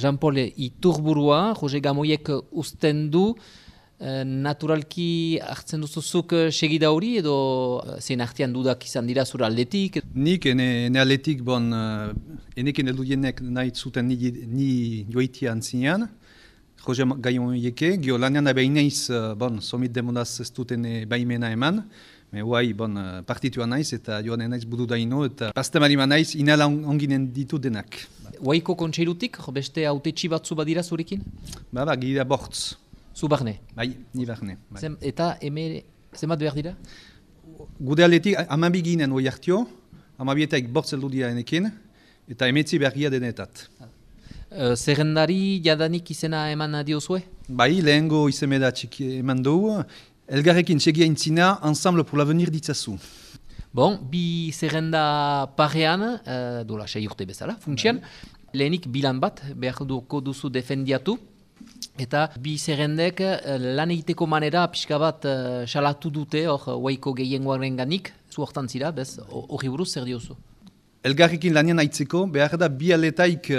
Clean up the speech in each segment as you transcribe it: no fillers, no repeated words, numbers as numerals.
Jean-Paul Iturburua, Jose Gamoiek uzten du, naturalki hartzen duzuzuk segida hori edo zein artean dudak izan dira zure aldetik? Nik ene aldetik enekin eludienek nahi zuten ni joitia antzinean, Jose Gamoieke, gio lanean abeineiz somit demodaz ez duten baimena eman, Huai, partitua naiz eta joan naiz budu daino eta pastemari naiz inala onginen ditu denak. Huaiko kontseilutik, beste autetxi batzu badira zurekin? Gira bortz. Zu barne? Bai, ni barne. Bai. Eta zenbat behar dira? Gude aldetik, amabi ginen hoi hartio, amabietaik bortz eldu dira enekin, eta emetzi bergia denetat. Zerrendari jadanik izena eman diozue? Bai, lehengo izemeda txiki eman dugu, elgarrekin segia intzina, Ensemble pour l'avenir ditzazu. Bi zerrenda parean, dola 6 urte bezala, funtsian, lehenik bilan bat, behar duzu defendiatu, eta bi zerrendek lan egiteko manera pixka bat salatu dute, Huaiko gehiengoaren ganik, zu hortan zira, bez, hori buruz zer diozu? Elgarrekin lanian aitzeko, behar da bi aletaik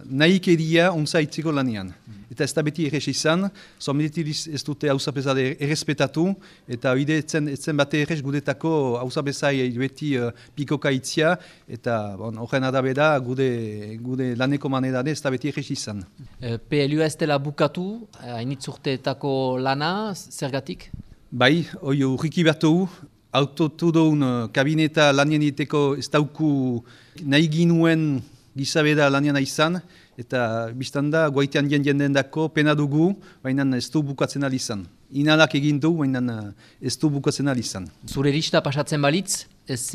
nahik edia ontza aitzeko lanian. Eta ez da beti errez izan, somedetiz ez dute hausapesade errespetatu, eta hide etzen bate errez gudetako hausapesai beti pikoka itzia, eta horren adabeda gude laneko manedade ez da beti errez izan. PLUa ez dela bukatu, hainitzurteetako lana, zergatik? Bai, hoi urriki bertu, autotudoun kabineta lanien iteko ez dauku nahi ginuen gizabeda lanian izan, eta biztanda goitean jenden dako pena dugu, baina ez du bukatzen alizan. Inalak egin du, baina ez du bukatzen alizan. Zure lista pasatzen balitz, ez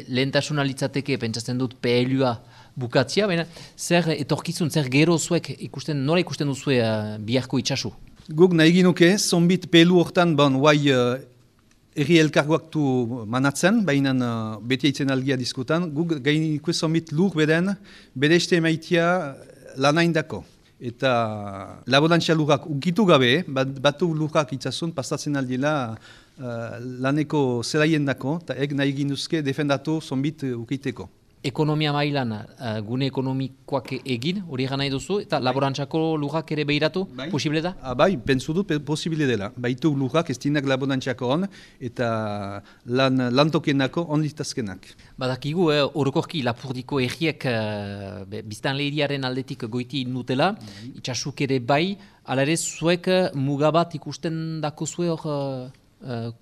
lehentasuna litzateke pentsatzen dut PLUa bukatzia, baina zer etorkizun, zer gero zuek nola ikusten duzue biharko itxasu? Guk nahi ginuke, zonbit PLU hortan guai erri elkargoak du manatzen, baina beti aitzen algia diskutan, guk gainiko zonbit lur beden, bere este emaitia lanaindako. Eta laborantzia lurrak ukitu gabe, batu lurrak itzasun, pastatzen aldila laneko zelaien dako, eta nahi ginduzke defendatu zonbit ukiteko. Ekonomia mailan gune ekonomikoak egin, hori egan nahi duzu, eta laborantzako lurrak ere behiratu, posible da? Bai, pentsu dut posible dela. Baitu lurrak ez dinak laborantzako hon, eta lantokienako on litazkenak. Badakigu, orokorki Lapurdiko erriek biztan lehiriaren aldetik goiti nutela, itxasuk ere bai, ala ere zuek mugabat ikusten dako zue hor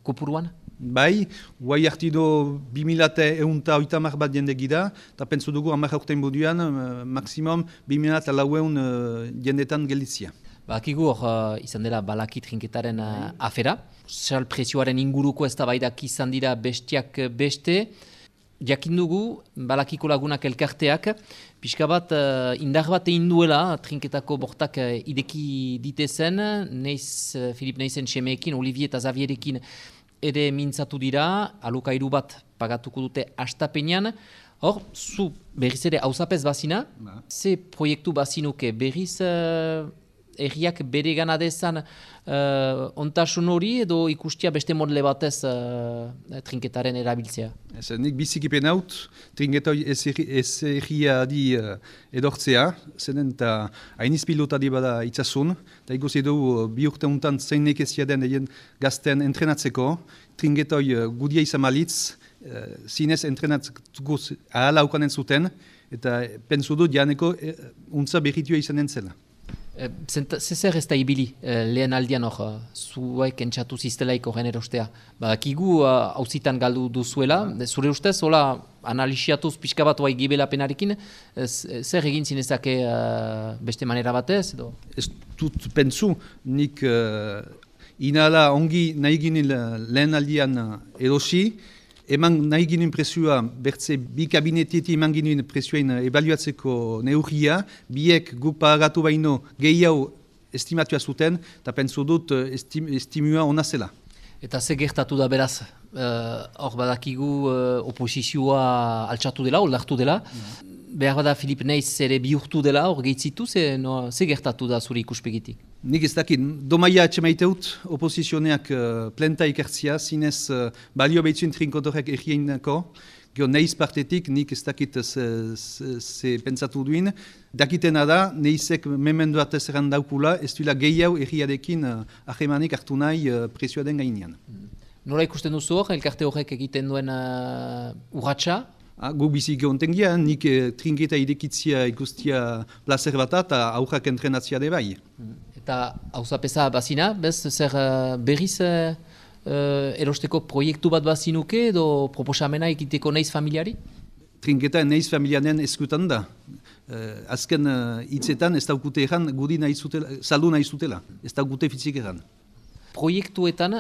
kopuruan? Bai, guai hartido 2180 bat jende gira, eta pentsu dugu 10 urtein buduan, maksimum 2400 jendetan gelditzia. Bakigu hor izan dela balaki trinketaren afera, sal presioaren inguruko ez da baidak izan dira bestiak beste, jakin dugu balakiko lagunak elkarteak, pixka bat indar bat egin duela trinketako bortak ideki ditezen, Filip Neizen semeekin, Olivier eta Xavierekin ere mintzatu dira, alokairu bat pagatuko dute astapenean. Hor, zu berriz ere hausapez bazina, ze proiektu bazinuke berriz erriak bere gana dezan ontasun hori edo ikustia beste modele batez trinketaren erabiltzea? Nik bizikipen haut, trinketoi ez erria di edortzea, zenen eta hainiz pilotadi bada itzasun, eta ikusi edo bi urte untan zein nekezia den egin gazten entrenatzeko, trinketoi gudia izan malitz, zinez entrenatzeko ahala ukanen zuten, eta pentsu dut janeko untza berritua izanen zela. Zer ez da ibili lehen aldian hor, zuek entxatu ziztelaik horren erostea. Kigu hauzitan galdu duzuela, zure ustez, hola analisiatuz pixka bat oai gibelapenarekin, zer egin zinezake beste manera batez? Ez dut pentsu, nik inala ongi nahi ginen lehen aldian erosi, eman nahi ginen presioa, bertze bi kabinetietik eman ginen presioain ebaluatzeko neurria, biek guk pagatu baino gehiago estimatua zuten, eta pentsu dut estimua ona zela. Eta ze gertatu da beraz, hor badakigu oposizioa altxatu dela, oldartu dela, behar bada Filip Neiz ere bihurtu dela, hor gehitzitu, ze gertatu da zure ikuspegitik? Nik ez dakit, domaia atxemaiteut oposizioneak plenta ikertzia, zinez balio behitzuen trinkotorek errieinako, Gero neiz partetik nik ez dakit ze pentsatu duin. Dakitena da, neizek memendu atez daukula, ez duela gehiago erriarekin ahemanik hartu nahi presioa den gainean. Nola ikusten duzu hor, elkarte horrek egiten duen urratsa? Gu bizi geontengia, nik trinketa irekitzia ikustia placer bat eta aurrak entrenatzia de bai. Eta hauzapeza bazina, bez, zer berriz erosteko proiektu bat bazinuke edo proposamena egiteko neiz familiari? Trinketa neiz familianen eskutan da. Azken hitzetan ez daukute egan gudi nahi zutela, saldu nahi zutela, ez daukute fitzik egan. Proiektuetan,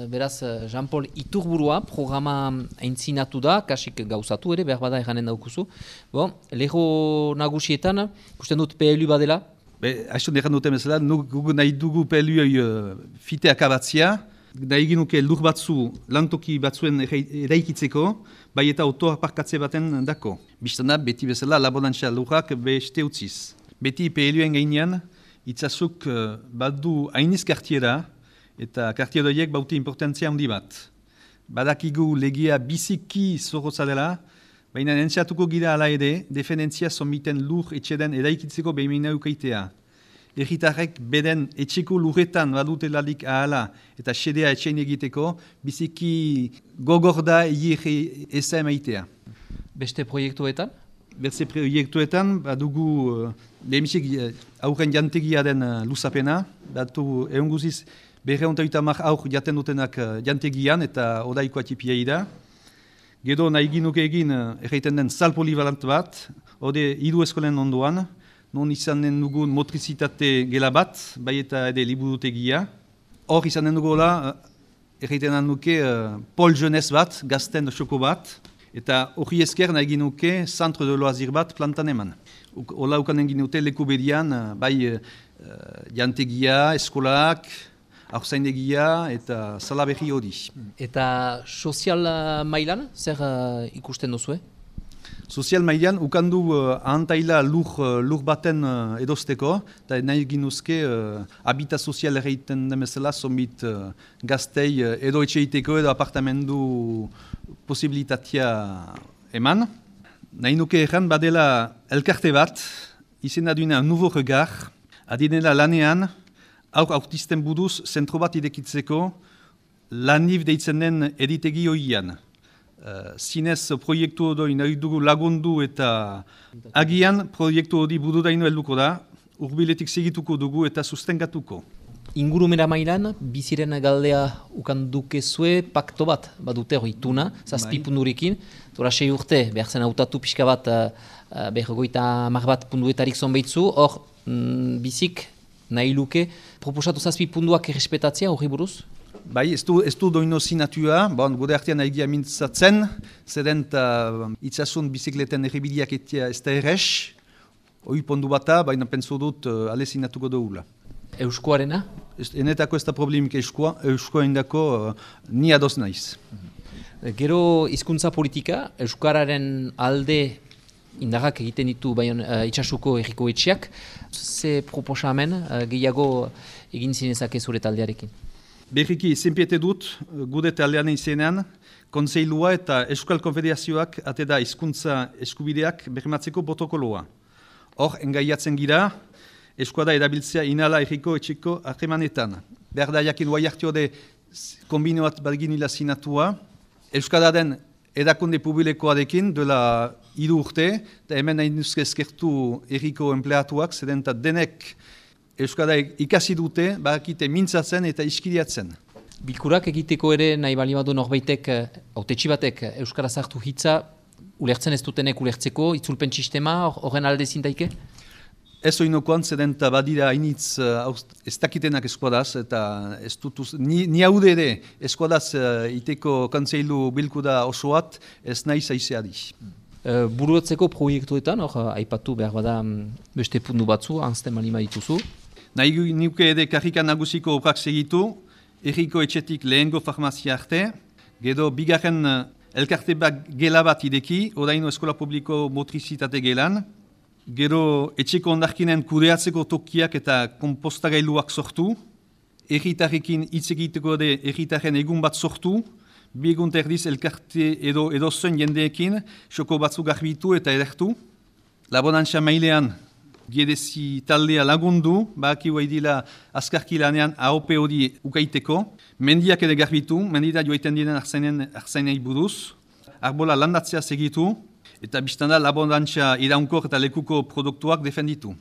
beraz, Jean-Paul Iturburua programa aintzinatu da, kasik gauzatu ere, behar bada eganen daukuzu. Bon, leho nagusietan, ikusten dut PLU badela? Haiztu negan duten bezala, guk nahi dugu PLU fite akabatzia, nahi ginuke lur batzu, lantoki batzuen eraikitzeko, bai eta autoaparkatze baten dako. Bistana, beti bezala, labonantza lurrak beste utziz. Beti PLU-en gainean, itzazuk badu hainiz kartiera, eta kartieroiek baute importantzia handi bat. Badakigu legia biziki zorrotza dela, baina entziatuko gira ala ere, defendentzia somiten lur etxeden eraikitzeko behimena ukaitea. Erritarrek beden etxeko lurretan badutelarik ahala eta xedea etxein egiteko, biziki gogorda egi eza emaitea. Beste proiektuetan? Beste proiektuetan, badugu lehemisik aurren jantegia den luzapena, batu egun guziz, Berreuntaita mar aur jaten dutenak jantegian eta odaiko atipia da. Gero nahi ginuke egin erraiten den sal polivalant bat, ode hiru eskolen ondoan, non izanen dugun motrizitate gela bat, bai eta ere liburutegia. Hor izanen dugola erraiten duke pol jeunesse bat, gazten xoko bat, eta hori esker nahi ginuke centre de loisir bat plantan eman. Ola ukanen ginute leku bedian, bai jantegia, eskolak, aurzaindegia eta salaberri hori. Eta sozial mailan, zer ikusten duzue? Sozial mailan, ukandu ahantaila lur baten edosteko, eta nahi ginuzke habita sozial erreiten demezela, zombit gaztei edo etxeiteko edo apartamendu posibilitatea eman. Nahi nuke erran badela elkarte bat, izena duena Nouveau Regard, adinela lanean, aur autisten buduz zentro bat idekitzeko lanif deitzen den editegi hoian. Zinez proiektu hori nahi dugu lagundu eta agian proiektu hori burudaino helduko da, urbiletik segituko dugu eta sustengatuko. Ingurumera mailan, biziren galdea ukandukezue pakto bat badute hori tuna, zazpipundurikin. Tora 6 urte, behar zen hautatu pixka bat, behar goita mar bat punduetarik zonbeitzu, hor bizik nahi luke, proposatu zazpipunduak errespetatzea hori buruz? Bai, ez du doino zinatua, gure artean egia mintzatzen, zeren itzasun bizikleten errebideak etia ez da errex, hori pondu bata, baina pentsu dut ale zinatuko dugula. Euskoarena? Enetako ez da problemik euskoa indako ni adoz naiz. Gero hizkuntza politika, euskararen alde indarrak egiten ditu itxasuko erriko etxeak. Ze proposamen gehiago egin zinezake zure taldearekin? Berriki, zenpiete dut, gure taldean izenean, Kontseilua eta Euskal Konfederazioak ate da hizkuntza eskubideak bermatzeko protokoloa. Hor, engaiatzen gira, eskuada erabiltzea inala erriko etxeko harremanetan. Behar da jakin guai hartiode kombinoat badginila zinatua, Euskadaren edakunde publikoarekin duela 3 urte, eta hemen nahi nuzke eskertu erriko empleatuak, zeden denek Euskara ikasi dute, bakite mintzatzen eta iskiriatzen. Bilkurak egiteko ere nahi bali badu norbaitek, autetxi batek Euskara zartu hitza, ulertzen ez dutenek ulertzeko, itzulpen sistema, horren alde zintaike? Ez oinokoan, zeden badira hainitz ez dakitenak eskuadaz, eta ez dutuz, ni haude ere eskuadaz iteko kontseilu bilkuda osoat, ez nahi zaizeadi. Buruatzeko proiektuetan, aipatu behar bada beste pundu batzu, anzten malima dituzu. Nahi nuke ere karrikan nagusiko oprak segitu, erriko etxetik lehengo farmazia arte, gero bigarren elkarte bat gela bat ideki, oraino eskola publiko motrizitate gelan, gero etxeko ondarkinen kudeatzeko tokiak eta kompostagailuak sortu, erritarrekin hitz egiteko ere erritarren egun bat sortu, bi egun terdiz elkarte edo zen jendeekin, xoko batzuk garbitu eta edertu. Labonantza mailean, giedezi taldea lagundu, baki dila azkarki lanean AOP hori ukaiteko. Mendiak ere garbitu, mendita joiten diren arzainei buruz. Arbola landatzea segitu, eta biztanda labonantza iraunkor eta lekuko produktuak defenditu.